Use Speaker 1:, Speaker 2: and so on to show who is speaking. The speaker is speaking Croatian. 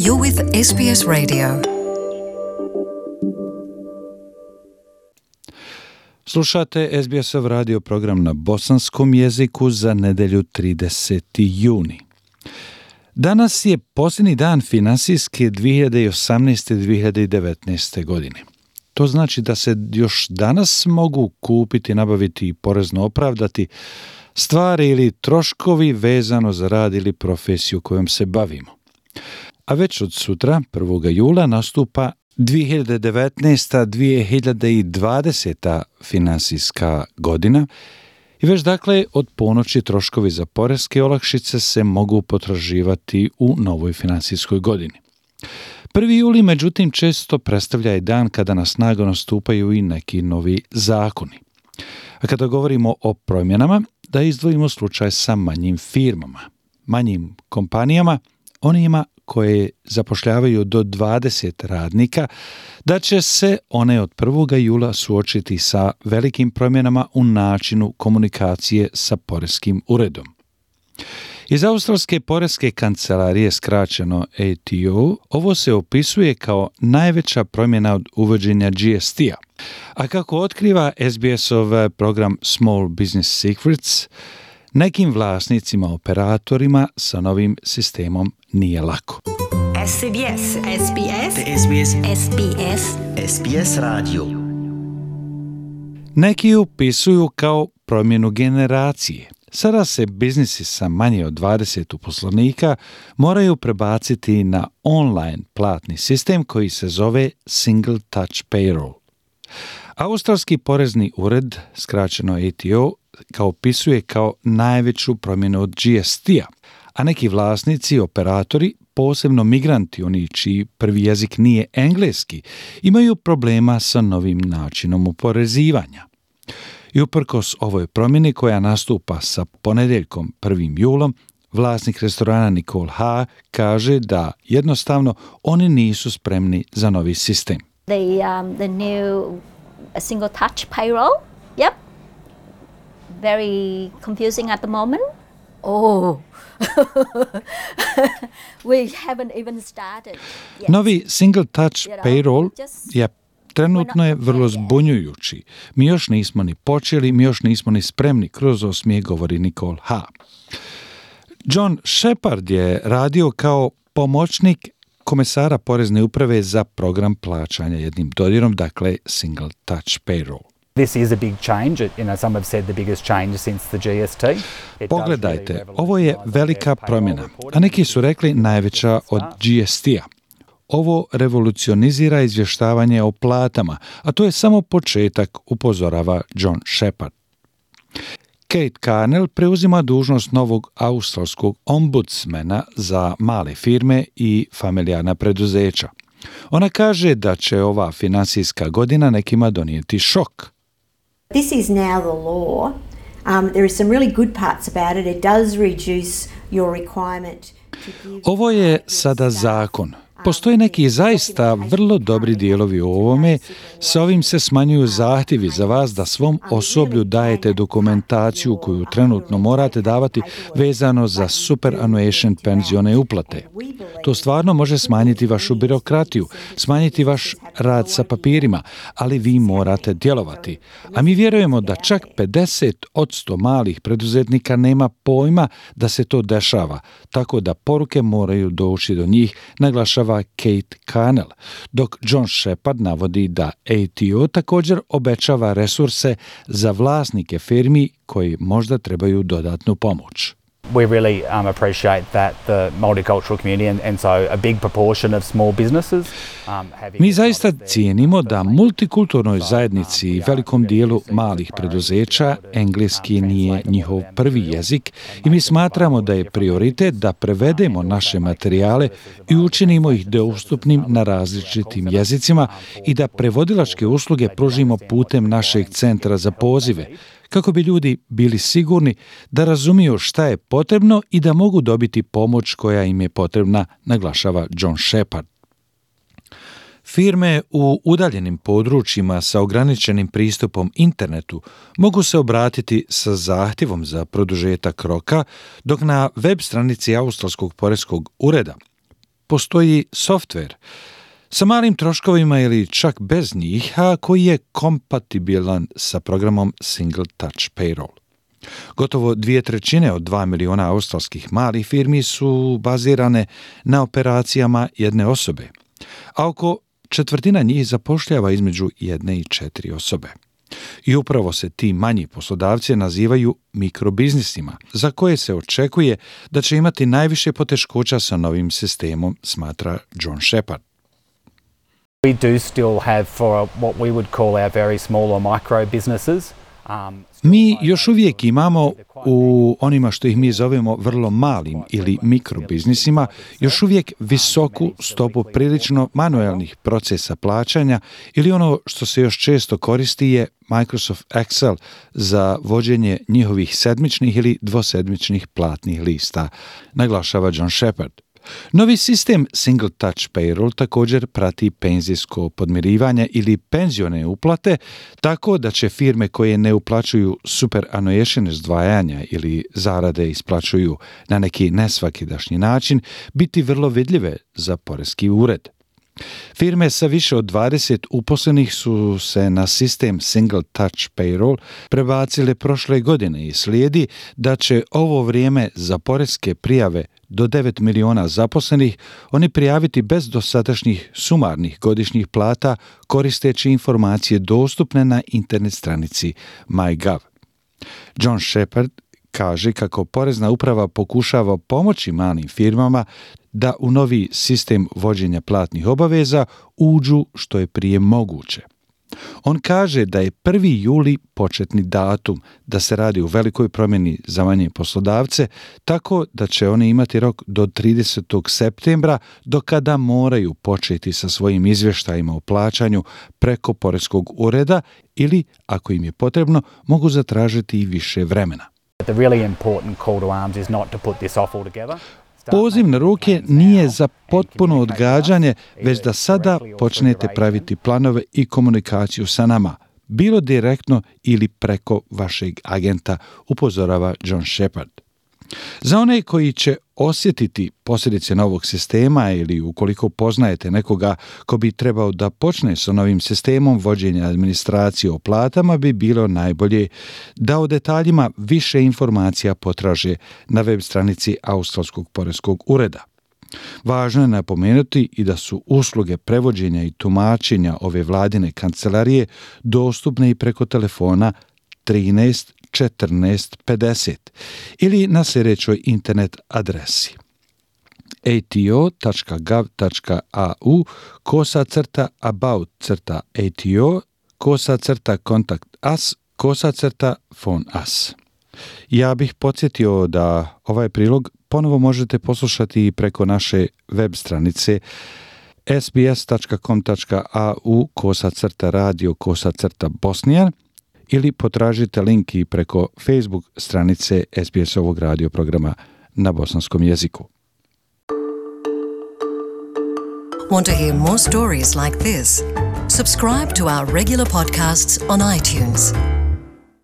Speaker 1: You're with SBS Radio.
Speaker 2: Slušate SBS-ov radio program na bosanskom jeziku za nedjelju 30. juni. Danas je posljednji dan finansijske 2018-2019. godine. To znači da se još danas mogu kupiti, nabaviti i porezno opravdati stvari ili troškovi vezano za rad ili profesiju kojom se bavimo. A već od sutra, 1. jula, nastupa 2019-2020. Finansijska godina i već dakle od ponoći troškovi za poreske olakšice se mogu potraživati u novoj finansijskoj godini. 1. juli, međutim, često predstavlja i dan kada na snagu nastupaju i neki novi zakoni. A kada govorimo o promjenama, da izdvojimo slučaj sa manjim firmama, manjim kompanijama, onima koje zapošljavaju do 20 radnika, da će se one od 1. jula suočiti sa velikim promjenama u načinu komunikacije sa poreskim uredom. Iz Australske poreske kancelarije, skraćeno ATO, ovo se opisuje kao najveća promjena od uvođenja GST-a. A kako otkriva SBS-ov program Small Business Secrets, nekim vlasnicima, operatorima sa novim sistemom nije lako.
Speaker 3: SBS Radio.
Speaker 2: Neki upisuju kao promjenu generacije. Sada se biznisi sa manje od 20 uposlenika moraju prebaciti na online platni sistem koji se zove Single Touch Payroll. Australski porezni ured, skraćeno ATO, opisuje kao najveću promjenu od GST-a, a neki vlasnici, operatori, posebno migranti, oni čiji prvi jezik nije engleski, imaju problema sa novim načinom oporezivanja. I uprkos ovoj promjeni koja nastupa sa ponedjeljkom 1. julom, vlasnik restorana Nicole Ha kaže da jednostavno oni nisu spremni za novi sistem.
Speaker 4: The new single touch payroll, yep, very confusing at the moment. Oh, we haven't even started yet.
Speaker 2: Novi single touch payroll je trenutno je vrlo zbunjujući. Mi još nismo ni počeli, mi još nismo ni spremni, kroz osmijeh govori Nicole Ha. John Shepard je radio kao pomoćnik komesara porezne uprave za program plaćanja jednim dodirom, dakle Single Touch Payroll.
Speaker 5: This is a big change. Some have said the biggest change since the GST.
Speaker 2: Pogledajte, ovo je velika promjena, a neki su rekli najveća od GST-a. Ovo revolucionizira izvještavanje o platama, a to je samo početak, upozorava John Shepard. Kate Carnell preuzima dužnost novog australskog ombudsmana za male firme i familijarna preduzeća. Ona kaže da će ova finansijska godina nekima donijeti šok.
Speaker 6: This is now the law. There is some really good parts about it. It does reduce your requirement to give...
Speaker 2: Ovo je sada zakon. Postoje neki zaista vrlo dobri dijelovi u ovome. Sa ovim se smanjuju zahtjevi za vas da svom osoblju dajete dokumentaciju koju trenutno morate davati vezano za superannuation penzione uplate. To stvarno može smanjiti vašu birokratiju, smanjiti vaš rad sa papirima, ali vi morate djelovati. A mi vjerujemo da čak 50% malih preduzetnika nema pojma da se to dešava, tako da poruke moraju doći do njih, naglašava Kate Carnell, dok John Shepard navodi da ATO također obećava resurse za vlasnike firmi koji možda trebaju dodatnu pomoć.
Speaker 5: We really appreciate that the multicultural community and so a big proportion of small businesses
Speaker 2: Mi zaista cijenimo da multikulturnoj zajednici i velikom dijelu malih preduzeća engleski nije njihov prvi jezik i mi smatramo da je prioritet da prevedemo naše materijale i učinimo ih dostupnim na različitim jezicima i da prevodilačke usluge pružimo putem našeg centra za pozive, kako bi ljudi bili sigurni da razumiju šta je potrebno i da mogu dobiti pomoć koja im je potrebna, naglašava John Shepard. Firme u udaljenim područjima sa ograničenim pristupom internetu mogu se obratiti sa zahtjevom za produžetak roka, dok na web stranici Australskog poreskog ureda postoji softver sa malim troškovima ili čak bez njih, a koji je kompatibilan sa programom Single Touch Payroll. Gotovo 2/3 od 2 miliona australskih malih firmi su bazirane na operacijama jedne osobe, a oko 1/4 njih zapošljava između 1 i 4 osobe. I upravo se ti manji poslodavci nazivaju mikrobiznisima, za koje se očekuje da će imati najviše poteškoća sa novim sistemom, smatra John Shepard.
Speaker 5: We do still have for what we would call our very small or micro businesses.
Speaker 2: Mi još uvijek imamo u onima što ih mi zovemo vrlo malim ili mikrobiznisima još uvijek visoku stopu prilično manuelnih procesa plaćanja ili ono što se još često koristi je Microsoft Excel za vođenje njihovih sedmičnih ili dvosedmičnih platnih lista, naglašava John Shepard. Novi sistem Single Touch Payroll također prati penzijsko podmirivanje ili penzione uplate, tako da će firme koje ne uplaćuju superannuation izdvajanja ili zarade isplaćuju na neki nesvakidašnji način biti vrlo vidljive za poreski ured. Firme sa više od 20 uposlenih su se na sistem Single Touch Payroll prebacile prošle godine i slijedi da će ovo vrijeme za poreske prijave do 9 miliona zaposlenih oni prijaviti bez dosadašnjih sumarnih godišnjih plata koristeći informacije dostupne na internet stranici MyGov. John Shepard kaže kako Porezna uprava pokušava pomoći malim firmama da u novi sistem vođenja platnih obaveza uđu što je prije moguće. On kaže da je 1. juli početni datum, da se radi o velikoj promjeni za manje poslodavce, tako da će oni imati rok do 30. septembra do kada moraju početi sa svojim izvještajima o plaćanju preko poreskog ureda ili, ako im je potrebno, mogu zatražiti i više vremena.
Speaker 5: The really important call to arms is not to put this off altogether.
Speaker 2: Poziv na ruke nije za potpuno odgađanje, već da sada počnete praviti planove i komunikaciju sa nama, bilo direktno ili preko vašeg agenta, upozorava John Shepard. Za one koji će osjetiti posljedice novog sistema ili ukoliko poznajete nekoga ko bi trebao da počne sa novim sistemom vođenja administracije o platama, bi bilo najbolje da o detaljima više informacija potraže na web stranici Australskog poreskog ureda. Važno je napomenuti i da su usluge prevođenja i tumačenja ove vladine kancelarije dostupne i preko telefona 13 14 50 ili na sljedećoj internet adresi ato.gov.au/about/ato/contact us/phone us. Ja bih podsjetio da ovaj prilog ponovo možete poslušati i preko naše web stranice sbs.com.au/radio/bosnijan ili potražite link i preko Facebook stranice SBS-ovog radio programa na bosanskom jeziku.
Speaker 1: Want to hear more stories like this? Subscribe to our regular podcasts on iTunes.